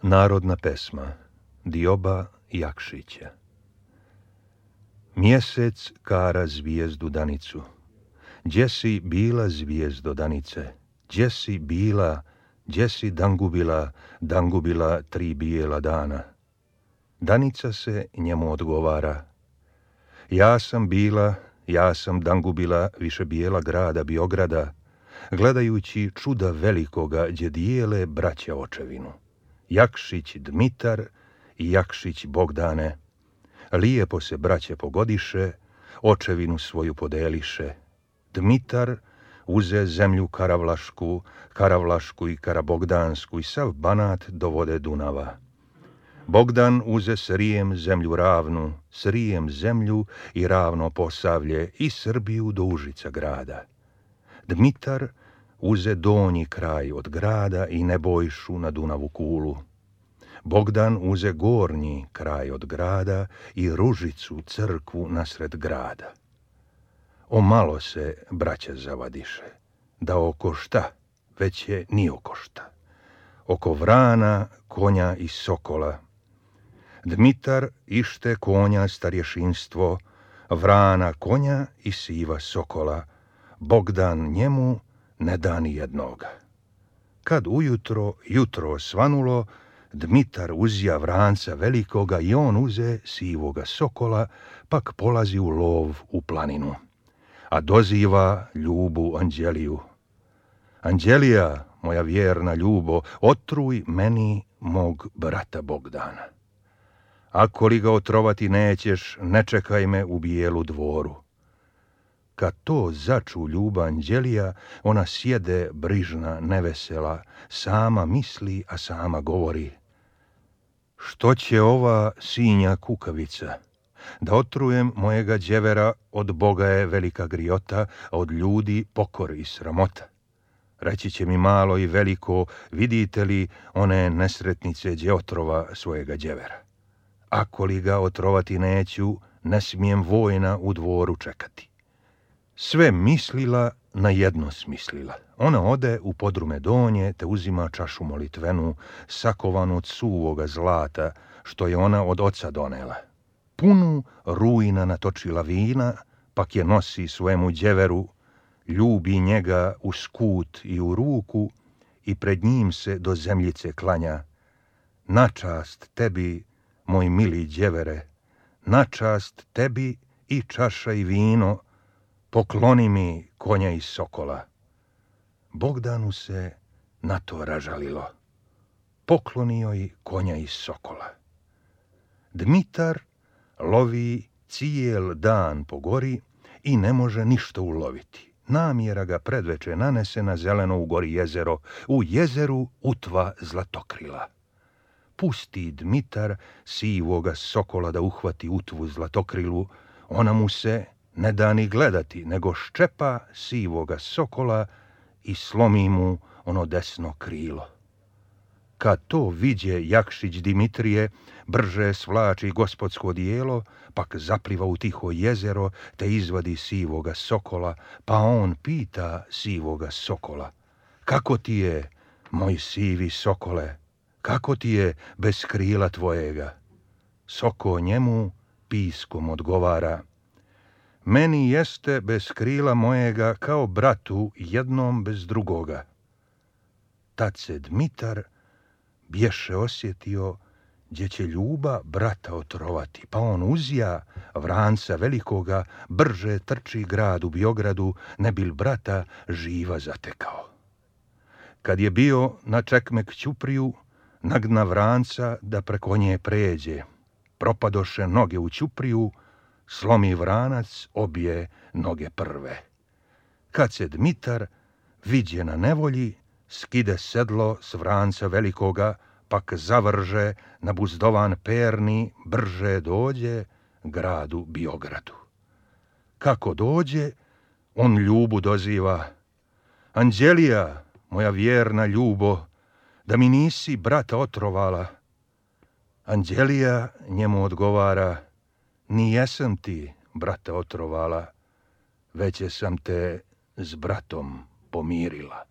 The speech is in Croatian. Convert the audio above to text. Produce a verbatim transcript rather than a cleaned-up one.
Narodna pesma Dioba Jakšića. Mjesec kara zvijezdu danicu. Gdje si bila zvijezdo danice? Gdje si bila, gdje si dangubila, dangubila tri bijela dana? Danica se njemu odgovara. Ja sam bila, ja sam dangubila više bijela grada Biograda, gledajući čuda velikoga gdje dijele braća očevinu. Jakšić Dmitar i Jakšić Bogdane. Lijepo se braće pogodiše, očevinu svoju podeliše. Dmitar uze zemlju Karavlašku, Karavlašku i Karabogdansku i sav Banat do vode Dunava. Bogdan uze Srijem zemlju ravnu, Srijem zemlju i ravno Posavlje i Srbiju do Užica grada. Dmitar uze donji kraj od grada i Nebojšu na Dunavu kulu. Bogdan uze gornji kraj od grada i Ružicu crkvu nasred grada. O malo se braća zavadiše, da oko šta, već je ni oko šta. Oko vrana, konja i sokola. Dmitar ište konja starješinstvo, vrana konja i siva sokola. Bogdan njemu ne da ni jednoga. Kad ujutro, jutro svanulo, Dmitar uzja vranca velikoga i on uze sivoga sokola, pak polazi u lov u planinu. A doziva Ljubu Anđeliju. Anđelija, moja vjerna Ljubo, otruj meni mog brata Bogdana. Ako li ga otrovati nećeš, ne čekaj me u bijelu dvoru. Kad to začu Ljuba Anđelija, ona sjede brižna, nevesela, sama misli, a sama govori. Što će ova sinja kukavica? Da otrujem mojega đevera, od Boga je velika griota, a od ljudi pokor i sramota. Reći će mi malo i veliko, vidite li one nesretnice đe otrova svojega đevera. Ako li ga otrovati neću, ne smijem vojna u dvoru čekati. Sve mislila, na jedno smislila. Ona ode u podrume donje, te uzima čašu molitvenu, sakovanu od suvoga zlata, što je ona od oca donela. Punu rujna natočila vina, pak je nosi svojemu đeveru, ljubi njega u skut i u ruku i pred njim se do zemljice klanja. Na čast tebi, moj mili đevere, na čast tebi i čaša i vino, pokloni mi konja i sokola. Bogdanu se na to ražalilo. Poklonio i konja i sokola. Dmitar lovi cijel dan po gori i ne može ništa uloviti. Namjera ga predveče nanese na zeleno u gori jezero, u jezeru utva zlatokrila. Pusti Dmitar sivoga sokola da uhvati utvu zlatokrilu, ona mu se ne da ni gledati, nego ščepa sivoga sokola i slomi mu ono desno krilo. Kad to viđe Jakšić Dimitrije, brže svlači gospodsko dijelo, pak zapliva u tiho jezero, te izvadi sivoga sokola, pa on pita sivoga sokola. Kako ti je, moj sivi sokole, kako ti je bez krila tvojega? Soko njemu piskom odgovara. Meni jeste bez krila mojega kao bratu jednom bez drugoga. Tad se Dmitar bješe osjetio gdje će Ljuba brata otrovati, pa on uzja vranca velikoga, brže trči grad u Biogradu, ne bil brata živa zatekao. Kad je bio na čekmek Ćupriju, nagna vranca da preko nje pređe. Propadoše noge u Ćupriju, slomi vranac obje noge prve. Kad se Dmitar viđe na nevolji, skide sedlo s vranca velikoga, pak zavrže na buzdovan perni, brže dođe gradu Biogradu. Kako dođe, on Ljubu doziva. Anđelija, moja vjerna Ljubo, da mi nisi brata otrovala. Anđelija njemu odgovara. Ni jesam ti, brata, otrovala, već sam te s bratom pomirila.